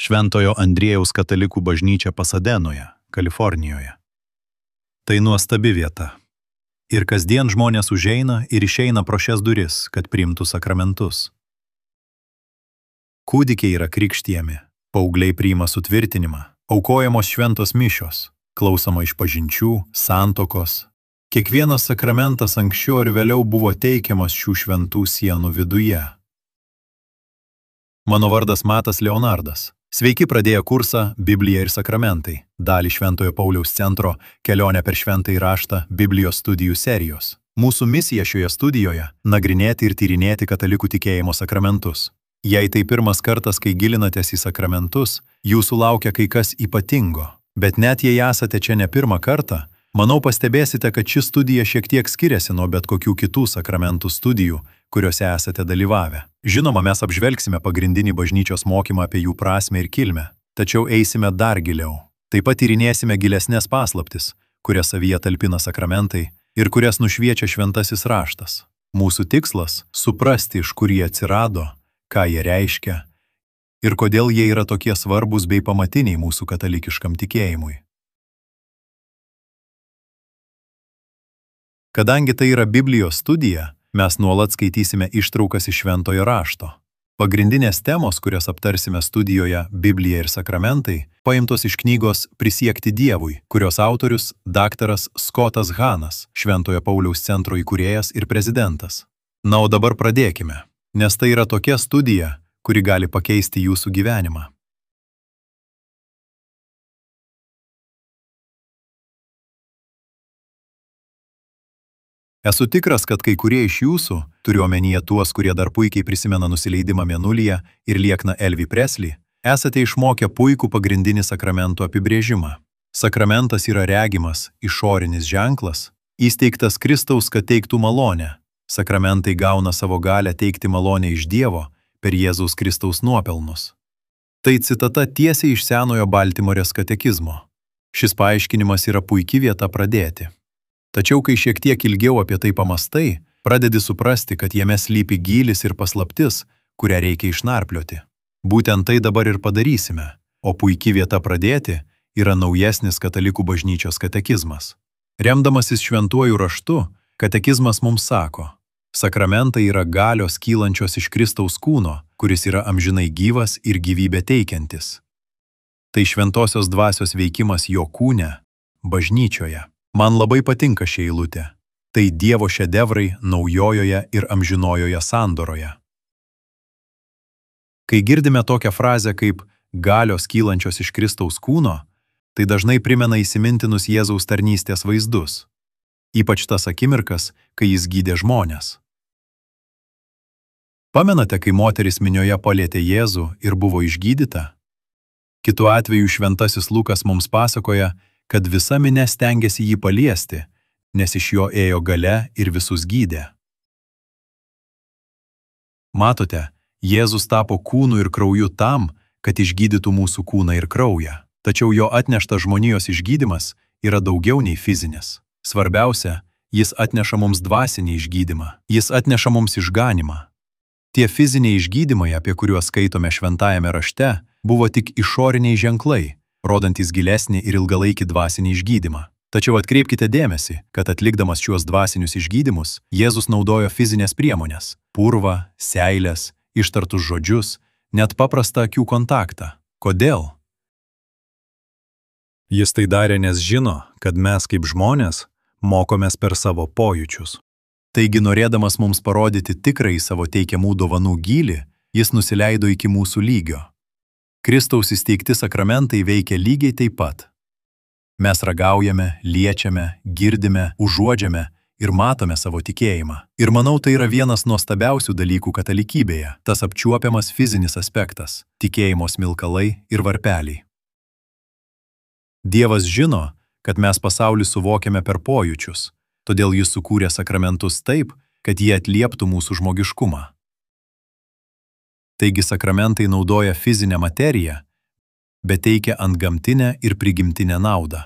Šventojo Andriejaus katalikų bažnyčia Pasadenoje, Kalifornijoje. Tai nuostabi vieta. Ir kasdien žmonės užeina ir išeina pro šias duris, kad priimtų sakramentus. Kūdikiai yra krikštijami, paaugliai priima sutvirtinimą, aukojamos šventos mišios, klausoma išpažinčių, santuokos. Kiekvienas sakramentas anksčiau ir vėliau buvo teikiamas šių šventų sienų viduje. Mano vardas Matas Leonardas. Sveiki pradėję kursą Biblija ir sakramentai, dalį Šventojo Pauliaus centro kelionę per šventąjį raštą Biblijos studijų serijos. Mūsų misija šioje studijoje – nagrinėti ir tyrinėti katalikų tikėjimo sakramentus. Jei tai pirmas kartas, kai gilinatės į sakramentus, jūsų laukia kai kas ypatingo. Bet net jei esate čia ne pirmą kartą, manau pastebėsite, kad ši studija šiek tiek skiriasi nuo bet kokių kitų sakramentų studijų, kuriuose esate dalyvavę. Žinoma, mes apžvelgsime pagrindinį bažnyčios mokymą apie jų prasmę ir kilmę, tačiau eisime dar giliau. Taip pat tyrinėsime gilesnės paslaptis, kurias savyje talpina sakramentai ir kurias nušviečia šventasis raštas. Mūsų tikslas – suprasti, iš kur jie atsirado, ką jie reiškia ir kodėl jie yra tokie svarbūs bei pamatiniai mūsų katalikiškam tikėjimui. Kadangi tai yra Biblijos studija, mes nuolat skaitysime ištraukas iš šventojo rašto. Pagrindinės temos, kurias aptarsime studijoje Biblija ir sakramentai, paimtos iš knygos Prisiekti Dievui, kurios autorius daktaras Scottas Hahnas, Šventojo Pauliaus centro įkūrėjas ir prezidentas. Na, o dabar pradėkime, nes tai yra tokia studija, kuri gali pakeisti jūsų gyvenimą. Esu tikras, kad kai kurie iš jūsų, turiu omenyje tuos, kurie dar puikiai prisimena nusileidimą Mėnulyje ir liekną Elvį Presley, esate išmokę puikų pagrindinį sakramentų apibrėžimą. Sakramentas yra regimas, išorinis ženklas, įsteigtas Kristaus, kad teiktų malonę. Sakramentai gauna savo galią teikti malonę iš Dievo per Jėzaus Kristaus nuopelnus. Tai citata tiesiai iš Senojo Baltimorės katekizmo. Šis paaiškinimas yra puiki vieta pradėti. Tačiau, kai šiek tiek ilgiau apie tai pamastai, pradedi suprasti, kad jame slypi gylis ir paslaptis, kurią reikia išnarplioti. Būtent tai dabar ir padarysime, o puiki vieta pradėti yra naujesnis katalikų bažnyčios katekizmas. Remdamasis šventuoju raštu, katekizmas mums sako, sakramentai yra galios kylančios iš Kristaus kūno, kuris yra amžinai gyvas ir gyvybę teikiantis. Tai šventosios dvasios veikimas jo kūne, bažnyčioje. Man labai patinka ši eilutė. Tai Dievo šedevrai naujojoje ir amžinojoje sandoroje. Kai girdime tokią frazę kaip galios kylančios iš Kristaus kūno, tai dažnai primena įsimintinus Jėzaus tarnystės vaizdus. Ypač tas akimirkas, kai jis gydė žmones. Pamenate, kai moteris minioje palietė Jėzų ir buvo išgydyta? Kitu atveju šventasis Lukas mums pasakoja, kad visa minia stengiasi jį paliesti, nes iš jo ėjo galia ir visus gydė. Matote, Jėzus tapo kūnu ir krauju tam, kad išgydytų mūsų kūną ir kraują. Tačiau jo atneštas žmonijos išgydymas yra daugiau nei fizinis. Svarbiausia, jis atneša mums dvasinį išgydymą, jis atneša mums išganymą. Tie fiziniai išgydymai, apie kuriuos skaitome šventajame rašte, buvo tik išoriniai ženklai, rodantis gilesnį ir ilgalaikį dvasinį išgydymą. Tačiau atkreipkite dėmesį, kad atlikdamas šiuos dvasinius išgydymus, Jėzus naudojo fizinės priemonės – purvą, seilės, ištartus žodžius, net paprastą akių kontaktą. Kodėl? Jis tai darė, nes žino, kad mes kaip žmonės mokomės per savo pojūčius. Taigi, norėdamas mums parodyti tikrai savo teikiamų dovanų gylį, jis nusileido iki mūsų lygio. Kristaus įsteigti sakramentai veikia lygiai taip pat. Mes ragaujame, liečiame, girdime, užuodžiame ir matome savo tikėjimą. Ir manau, tai yra vienas nuostabiausių dalykų katalikybėje, tas apčiuopiamas fizinis aspektas, tikėjimo smilkalai ir varpeliai. Dievas žino, kad mes pasaulį suvokiame per pojūčius, todėl jis sukūrė sakramentus taip, kad jie atlieptų mūsų žmogiškumą. Taigi sakramentai naudoja fizinę materiją, bet teikia antgamtinę ir prigimtinę naudą.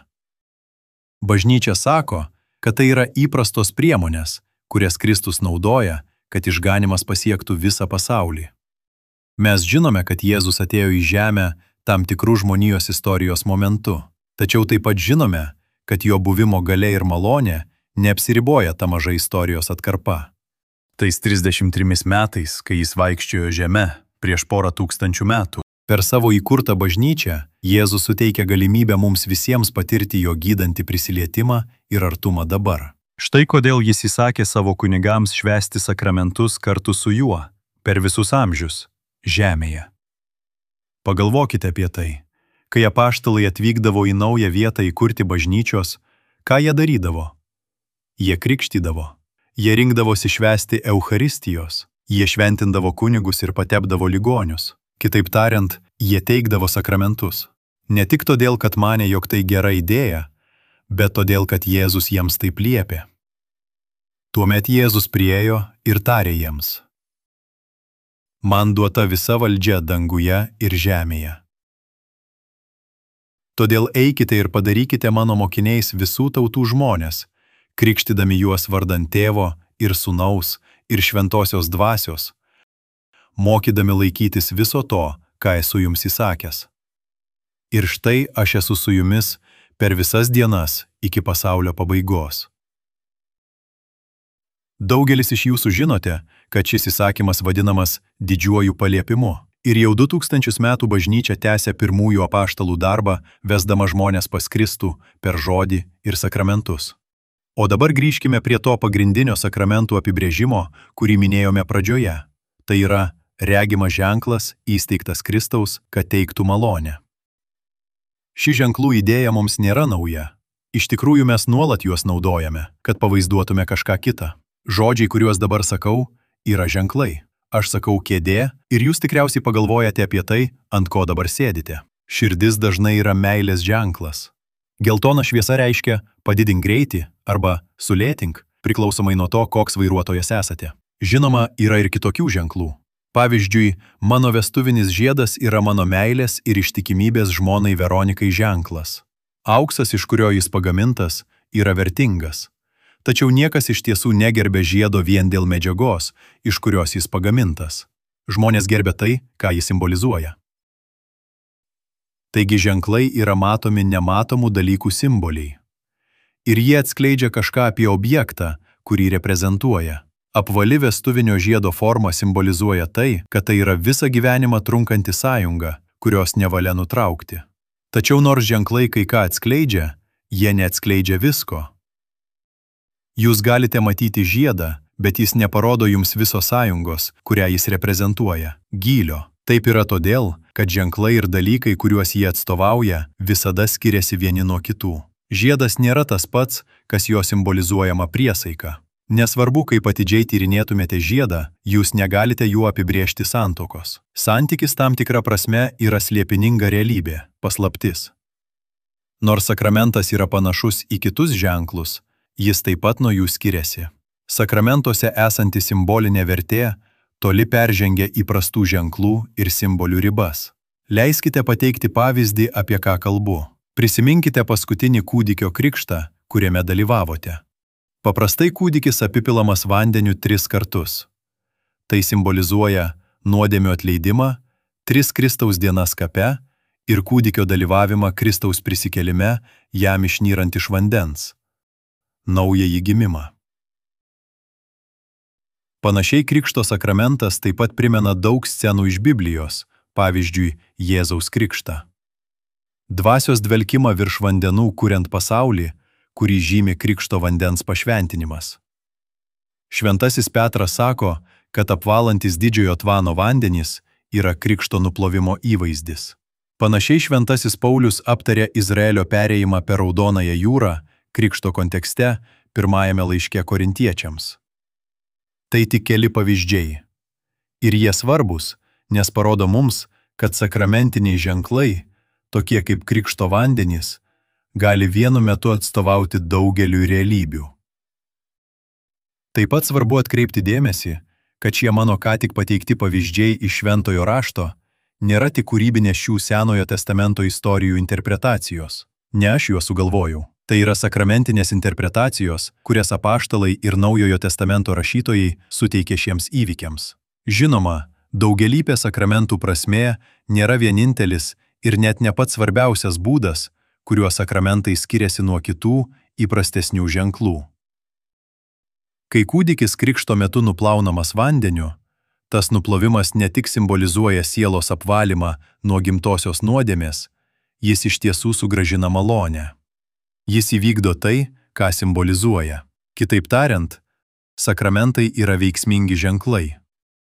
Bažnyčia sako, kad tai yra įprastos priemonės, kurias Kristus naudoja, kad išganymas pasiektų visą pasaulį. Mes žinome, kad Jėzus atėjo į žemę tam tikrų žmonijos istorijos momentu. Tačiau taip pat žinome, kad jo buvimo galia ir malonė neapsiriboja ta maža istorijos atkarpa. Tais 33 metais, kai jis vaikščiojo žeme prieš porą tūkstančių metų, per savo įkurtą bažnyčią Jėzus suteikia galimybę mums visiems patirti jo gydantį prisilietimą ir artumą dabar. Štai kodėl jis įsakė savo kunigams švęsti sakramentus kartu su juo per visus amžius žemėje. Pagalvokite apie tai. Kai apaštalai atvykdavo į naują vietą įkurti bažnyčios, ką jie darydavo? Jie krikštydavo. Jie rinkdavosi švęsti Eucharistijos. Jie šventindavo kunigus ir patepdavo ligonius. Kitaip tariant, jie teikdavo sakramentus. Ne tik todėl, kad manė, jog tai gera idėja, bet todėl, kad Jėzus jiems taip liepė. Tuomet Jėzus priėjo ir tarė jiems: Man duota visa valdžia danguje ir žemėje. Todėl eikite ir padarykite mano mokiniais visų tautų žmonės, krikštydami juos vardan Tėvo ir Sūnaus ir Šventosios Dvasios, mokydami laikytis viso to, ką esu jums įsakęs. Ir štai aš esu su jumis per visas dienas iki pasaulio pabaigos. Daugelis iš jūsų žinote, kad šis įsakymas vadinamas didžiuoju paliepimu. Ir jau 2000 metų bažnyčia tęsia pirmųjų apaštalų darbą, vesdama žmonės pas Kristų per žodį ir sakramentus. O dabar grįžkime prie to pagrindinio sakramentų apibrėžimo, kurį minėjome pradžioje. Tai yra regimas ženklas įsteigtas Kristaus, kad teiktų malonę. Ši ženklų idėja mums nėra nauja. Iš tikrųjų mes nuolat juos naudojame, kad pavaizduotume kažką kitą. Žodžiai, kuriuos dabar sakau, yra ženklai. Aš sakau kėdė ir jūs tikriausiai pagalvojate apie tai, ant ko dabar sėdite. Širdis dažnai yra meilės ženklas. Geltona šviesa reiškia padidink greitį arba sulėtink, priklausomai nuo to, koks vairuotojas esate. Žinoma, yra ir kitokių ženklų. Pavyzdžiui, mano vestuvinis žiedas yra mano meilės ir ištikimybės žmonai Veronikai ženklas. Auksas, iš kurio jis pagamintas, yra vertingas. Tačiau niekas iš tiesų negerbė žiedo vien dėl medžiagos, iš kurios jis pagamintas. Žmonės gerbė tai, ką jis simbolizuoja. Taigi ženklai yra matomi nematomų dalykų simboliai. Ir jie atskleidžia kažką apie objektą, kurį reprezentuoja. Apvali vestuvinio žiedo forma simbolizuoja tai, kad tai yra visą gyvenimą trunkanti sąjunga, kurios nevalia nutraukti. Tačiau nors ženklai kai ką atskleidžia, jie neatskleidžia visko. Jūs galite matyti žiedą, bet jis neparodo jums viso sąjungos, kurią jis reprezentuoja, gylio. Taip yra todėl, kad ženklai ir dalykai, kuriuos jie atstovauja, visada skiriasi vieni nuo kitų. Žiedas nėra tas pats, kas jo simbolizuojama priesaika. Nesvarbu, kaip atidžiai tyrinėtumėte žiedą, jūs negalite jų apibrėžti santuokos. Santykis tam tikra prasme yra slėpininga realybė, paslaptis. Nors sakramentas yra panašus į kitus ženklus, jis taip pat nuo jų skiriasi. Sakramentuose esanti simbolinė vertė toli peržengia įprastų ženklų ir simbolių ribas. Leiskite pateikti pavyzdį, apie ką kalbu. Prisiminkite paskutinį kūdikio krikštą, kuriame dalyvavote. Paprastai kūdikis apipilamas vandeniu 3 kartus. Tai simbolizuoja nuodėmių atleidimą, 3 Kristaus dienas kape ir kūdikio dalyvavimą Kristaus prisikėlime, jam išnyrant iš vandens. Naująjį gimimą. Panašiai krikšto sakramentas taip pat primena daug scenų iš Biblijos, pavyzdžiui, Jėzaus krikštą. Dvasios dvelkimą virš vandenų kuriant pasaulį, kurį žymi krikšto vandens pašventinimas. Šventasis Petras sako, kad apvalantis didžiojo tvano vandenys yra krikšto nuplovimo įvaizdis. Panašiai šventasis Paulius aptarė Izraelio perėjimą per Raudonąją jūrą krikšto kontekste pirmajame laiške korintiečiams. Tai tik keli pavyzdžiai. Ir jie svarbus, nes parodo mums, kad sakramentiniai ženklai, tokie kaip krikšto vandenys, gali vienu metu atstovauti daugeliu realybių. Taip pat svarbu atkreipti dėmesį, kad šie mano ką tik pateikti pavyzdžiai iš Šventojo rašto nėra tik kūrybinės šių Senojo testamento istorijų interpretacijos. Ne aš juos sugalvojau. Tai yra sakramentinės interpretacijos, kurias apaštalai ir Naujojo testamento rašytojai suteikė šiems įvykiams. Žinoma, daugelybė sakramentų prasmė nėra vienintelis ir net ne pats svarbiausias būdas, kuriuo sakramentai skiriasi nuo kitų įprastesnių ženklų. Kai kūdikis krikšto metu nuplaunamas vandeniu, tas nuplovimas ne tik simbolizuoja sielos apvalymą nuo gimtosios nuodėmės, jis iš tiesų sugrąžina malonę. Jis įvykdo tai, ką simbolizuoja. Kitaip tariant, sakramentai yra veiksmingi ženklai.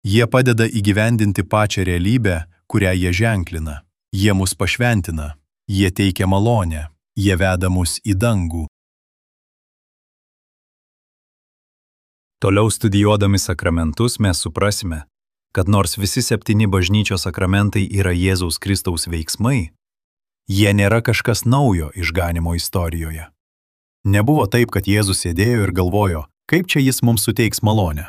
Jie padeda įgyvendinti pačią realybę, kurią jie ženklina. Jie mus pašventina, jie teikia malonę, jie veda mus į dangų. Toliau studijuodami sakramentus mes suprasime, kad nors visi 7 bažnyčios sakramentai yra Jėzaus Kristaus veiksmai, jie nėra kažkas naujo išganymo istorijoje. Nebuvo taip, kad Jėzus sėdėjo ir galvojo, kaip čia jis mums suteiks malonę.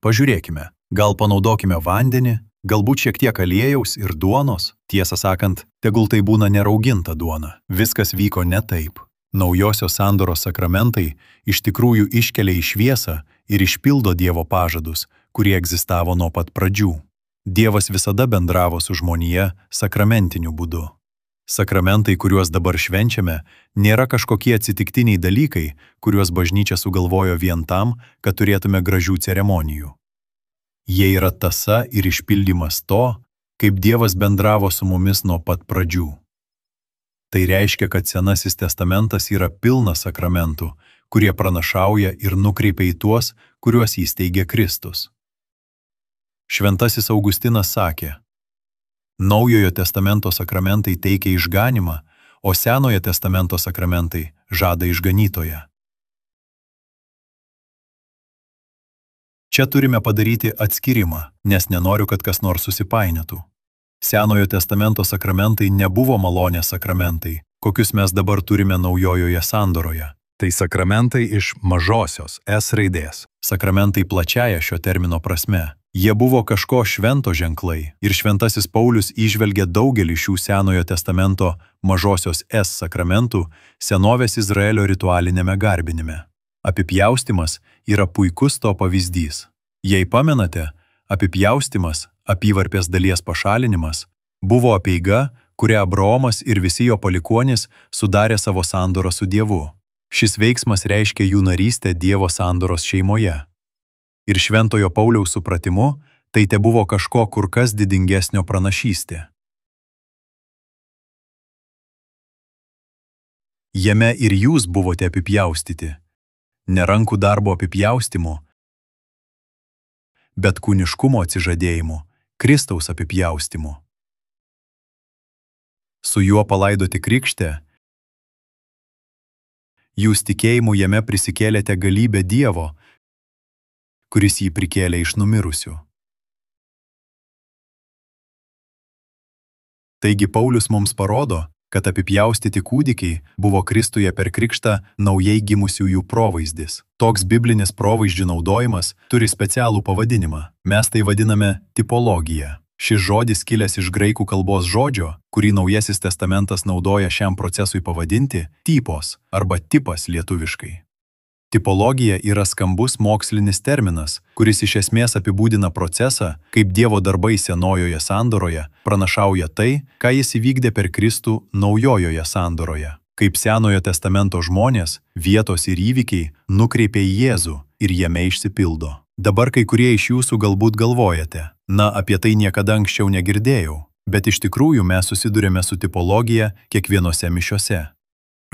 Pažiūrėkime, gal panaudokime vandenį, galbūt šiek tiek aliejaus ir duonos. Tiesą sakant, tegul tai būna nerauginta duona. Viskas vyko ne taip. Naujosios sandoros sakramentai iš tikrųjų iškelia į šviesą ir išpildo Dievo pažadus, kurie egzistavo nuo pat pradžių. Dievas visada bendravo su žmonija sakramentiniu būdu. Sakramentai, kuriuos dabar švenčiame, nėra kažkokie atsitiktiniai dalykai, kuriuos bažnyčia sugalvojo vien tam, kad turėtume gražių ceremonijų. Jie yra tąsa ir išpildymas to, kaip Dievas bendravo su mumis nuo pat pradžių. Tai reiškia, kad Senasis testamentas yra pilnas sakramentų, kurie pranašauja ir nukreipia į tuos, kuriuos įsteigė Kristus. Šventasis Augustinas sakė, Naujojo testamento sakramentai teikia išganymą, o Senojo testamento sakramentai žada išganytoją. Čia turime padaryti atskirimą, nes nenoriu, kad kas nors susipainiotų. Senojo testamento sakramentai nebuvo malonės sakramentai, kokius mes dabar turime Naujojoje sandoroje. Tai sakramentai iš mažosios S raidės. Sakramentai plačiaja šio termino prasme. Jie buvo kažko švento ženklai ir šventasis Paulius įžvelgė daugelį šių Senojo testamento mažosios S sakramentų senovės Izraelio ritualinėme garbinime. Apipjaustymas yra puikus to pavyzdys. Jei pamenate, apipjaustymas, apyvarpės dalies pašalinimas, buvo apeiga, kurią Abraomas ir visi jo palikuonys sudarė savo sandorą su Dievu. Šis veiksmas reiškia jų narystę Dievo sandoros šeimoje. Ir šventojo Pauliaus supratimu, tai tebuvo kažko kur kas didingesnio pranašystė. Jame ir jūs buvote apipjaustyti, ne rankų darbo apipjaustymu, bet kūniškumo atsižadėjimu, Kristaus apipjaustymu. Su juo palaidoti krikšte, jūs tikėjimu jame prisikėlėte galybę Dievo, kuris jį prikėlė iš numirusių. Taigi Paulius mums parodo, kad apipjaustyti kūdikiai buvo Kristuje per krikštą naujai gimusiųjų provaizdis. Toks biblinis provaizdžių naudojimas turi specialų pavadinimą. Mes tai vadiname tipologija. Šis žodis kilęs iš graikų kalbos žodžio, kurį Naujasis testamentas naudoja šiam procesui pavadinti typos arba tipas lietuviškai. Tipologija yra skambus mokslinis terminas, kuris iš esmės apibūdina procesą, kaip Dievo darbai Senojoje sandoroje pranašauja tai, ką jis įvykdė per Kristų Naujojoje sandoroje. Kaip Senojo testamento žmonės, vietos ir įvykiai nukreipia į Jėzų ir jame išsipildo. Dabar kai kurie iš jūsų galbūt galvojate, apie tai niekada anksčiau negirdėjau, bet iš tikrųjų mes susidurėme su tipologija kiekvienose mišiose.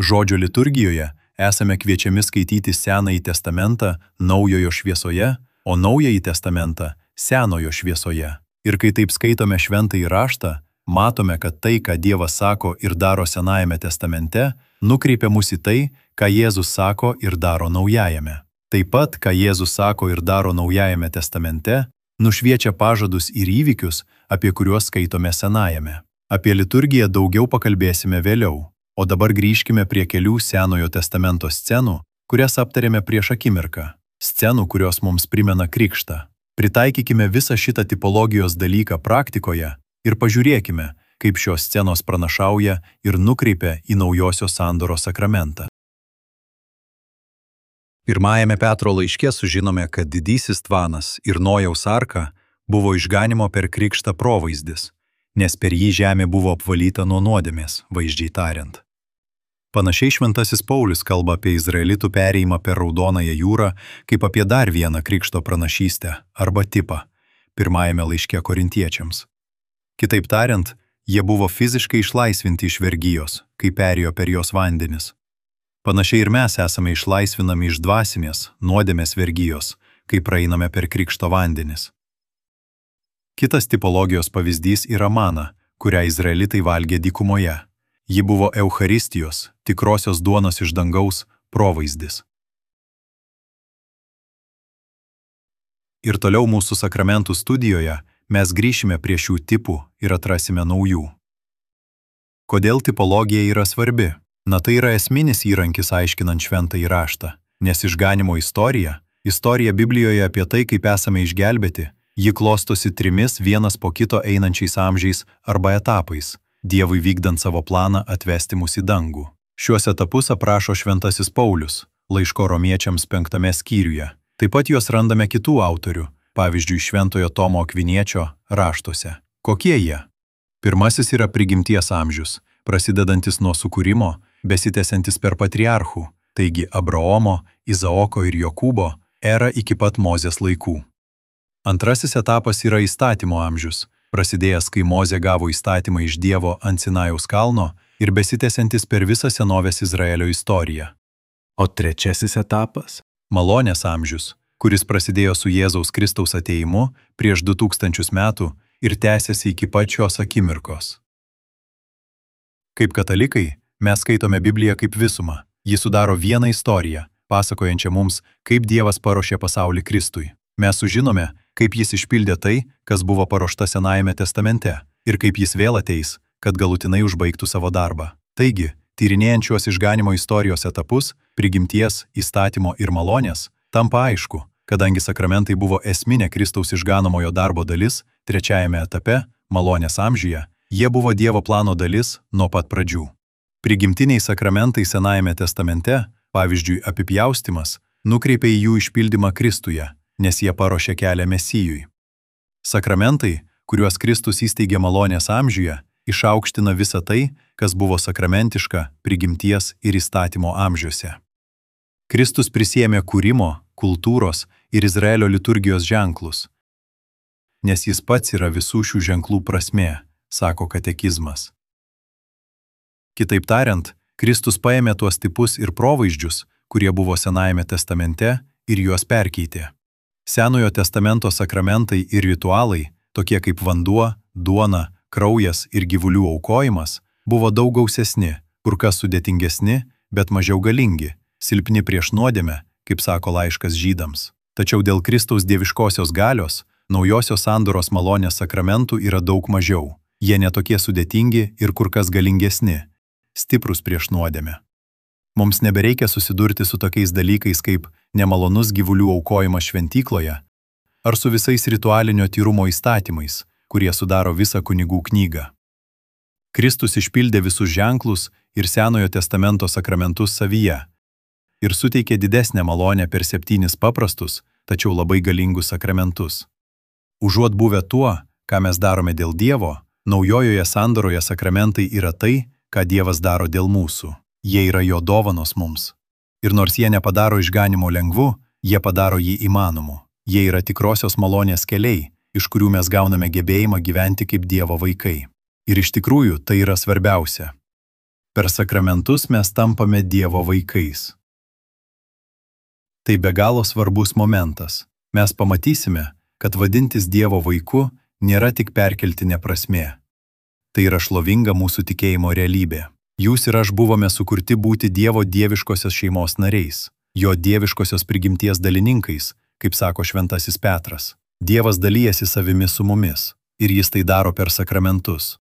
Žodžio liturgijoje esame kviečiami skaityti Senąjį testamentą Naujojo šviesoje, o Naująjį testamentą Senojo šviesoje. Ir kai taip skaitome šventąjį raštą, matome, kad tai, ką Dievas sako ir daro Senajame testamente, nukreipia mus į tai, ką Jėzus sako ir daro Naujajame. Taip pat, ką Jėzus sako ir daro Naujajame testamente, nušviečia pažadus ir įvykius, apie kuriuos skaitome Senajame. Apie liturgiją daugiau pakalbėsime vėliau. O dabar grįžkime prie kelių Senojo testamento scenų, kurias aptarėme prieš akimirką. Scenų, kurios mums primena krikštą. Pritaikykime visą šitą tipologijos dalyką praktikoje ir pažiūrėkime, kaip šios scenos pranašauja ir nukreipia į Naujosios sandoros sakramentą. Pirmajame Petro laiške sužinome, kad didysis tvanas ir Nojaus arka buvo išganimo per krikštą provaizdis, nes per jį žemė buvo apvalyta nuo nuodėmės, vaizdžiai tariant. Panašiai šventasis Paulius kalba apie izraelitų perėjimą per Raudonąją jūrą kaip apie dar vieną krikšto pranašystę arba tipą pirmajame laiške korintiečiams. Kitaip tariant, jie buvo fiziškai išlaisvinti iš vergijos, kai perėjo per jos vandenis. Panašiai ir mes esame išlaisvinami iš dvasinės, nuodėmės vergijos, kai praeiname per krikšto vandenis. Kitas tipologijos pavyzdys yra mana, kurią izraelitai valgė dykumoje. Ji buvo Eucharistijos, tikrosios duonos iš dangaus, provaizdis. Ir toliau mūsų sakramentų studijoje mes grįšime prie šių tipų ir atrasime naujų. Kodėl tipologija yra svarbi? Na, tai yra esminis įrankis aiškinant šventąjį raštą, nes išganymo istorija Biblijoje apie tai, kaip esame išgelbėti, ji klostosi trimis vienas po kito einančiais amžiais arba etapais, Dievui vykdant savo planą atvesti mus į dangų. Šiuos etapus aprašo šventasis Paulius, laiško romiečiams 5 skyriuje. Taip pat juos randame kitų autorių, pavyzdžiui, šventojo Tomo Akviniečio raštuose. Kokie jie? Pirmasis yra prigimties amžius, prasidedantis nuo sukūrimo, besitęsiantis per patriarchų, taigi Abraomo, Izaoko ir Jokūbo erą iki pat Mozės laikų. Antrasis etapas yra įstatymo amžius, prasidėjęs, kai Mozė gavo įstatymą iš Dievo ant Sinajaus kalno ir besitęsiantis per visą senovės Izraelio istoriją. O trečiasis etapas – malonės amžius, kuris prasidėjo su Jėzaus Kristaus atėjimu prieš 2000 metų ir tęsiasi iki pačios akimirkos. Kaip katalikai, mes skaitome Bibliją kaip visumą. Ji sudaro vieną istoriją, pasakojančią mums, kaip Dievas paruošė pasaulį Kristui. Mes sužinome, kaip jis išpildė tai, kas buvo paruošta Senajame testamente, ir kaip jis vėl ateis, kad galutinai užbaigtų savo darbą. Taigi, tyrinėjant šiuos išganimo istorijos etapus, prigimties, įstatymo ir malonės, tampa aišku, kadangi sakramentai buvo esminė Kristaus išganomojo darbo dalis, trečiajame etape, malonės amžiuje, jie buvo Dievo plano dalis nuo pat pradžių. Prigimtiniai sakramentai Senajame testamente, pavyzdžiui, apipjaustymas, nukreipia į jų išpildymą Kristuje, nes jie paruošė kelią Mesijui. Sakramentai, kuriuos Kristus įsteigė malonės amžiuje, išaukština visą tai, kas buvo sakramentiška prigimties ir įstatymo amžiuose. Kristus prisiėmė kūrimo, kultūros ir Izraelio liturgijos ženklus, nes jis pats yra visų šių ženklų prasmė, sako katekizmas. Kitaip tariant, Kristus paėmė tuos tipus ir provaizdžius, kurie buvo Senajame testamente, ir juos perkeitė. Senojo testamento sakramentai ir ritualai, tokie kaip vanduo, duona, kraujas ir gyvulių aukojimas, buvo daug gausesni, kur kas sudėtingesni, bet mažiau galingi, silpni prieš nuodėmę, kaip sako laiškas Žydams. Tačiau dėl Kristaus dieviškosios galios, naujosios sandoros malonės sakramentų yra daug mažiau. Jie netokie sudėtingi ir kur kas galingesni, stiprus prieš nuodėmę. Mums nebereikia susidurti su tokiais dalykais kaip nemalonus gyvulių aukojimas šventykloje ar su visais ritualinio tyrumo įstatymais, kurie sudaro visą kunigų knygą. Kristus išpildė visus ženklus ir Senojo testamento sakramentus savyje ir suteikė didesnę malonę per 7 paprastus, tačiau labai galingus sakramentus. Užuot buvę tuo, ką mes darome dėl Dievo, naujojoje sandoroje sakramentai yra tai, ką Dievas daro dėl mūsų. Jie yra jo dovanos mums. Ir nors jie nepadaro išganimo lengvu, jie padaro jį įmanomu. Jie yra tikrosios malonės keliai, iš kurių mes gauname gebėjimą gyventi kaip Dievo vaikai. Ir iš tikrųjų tai yra svarbiausia. Per sakramentus mes tampame Dievo vaikais. Tai be galo svarbus momentas. Mes pamatysime, kad vadintis Dievo vaiku nėra tik perkeltinė prasmė. Tai yra šlovinga mūsų tikėjimo realybė. Jūs ir aš buvome sukurti būti Dievo dieviškosios šeimos nariais, jo dieviškosios prigimties dalininkais, kaip sako šventasis Petras. Dievas dalijasi savimi su mumis, ir jis tai daro per sakramentus.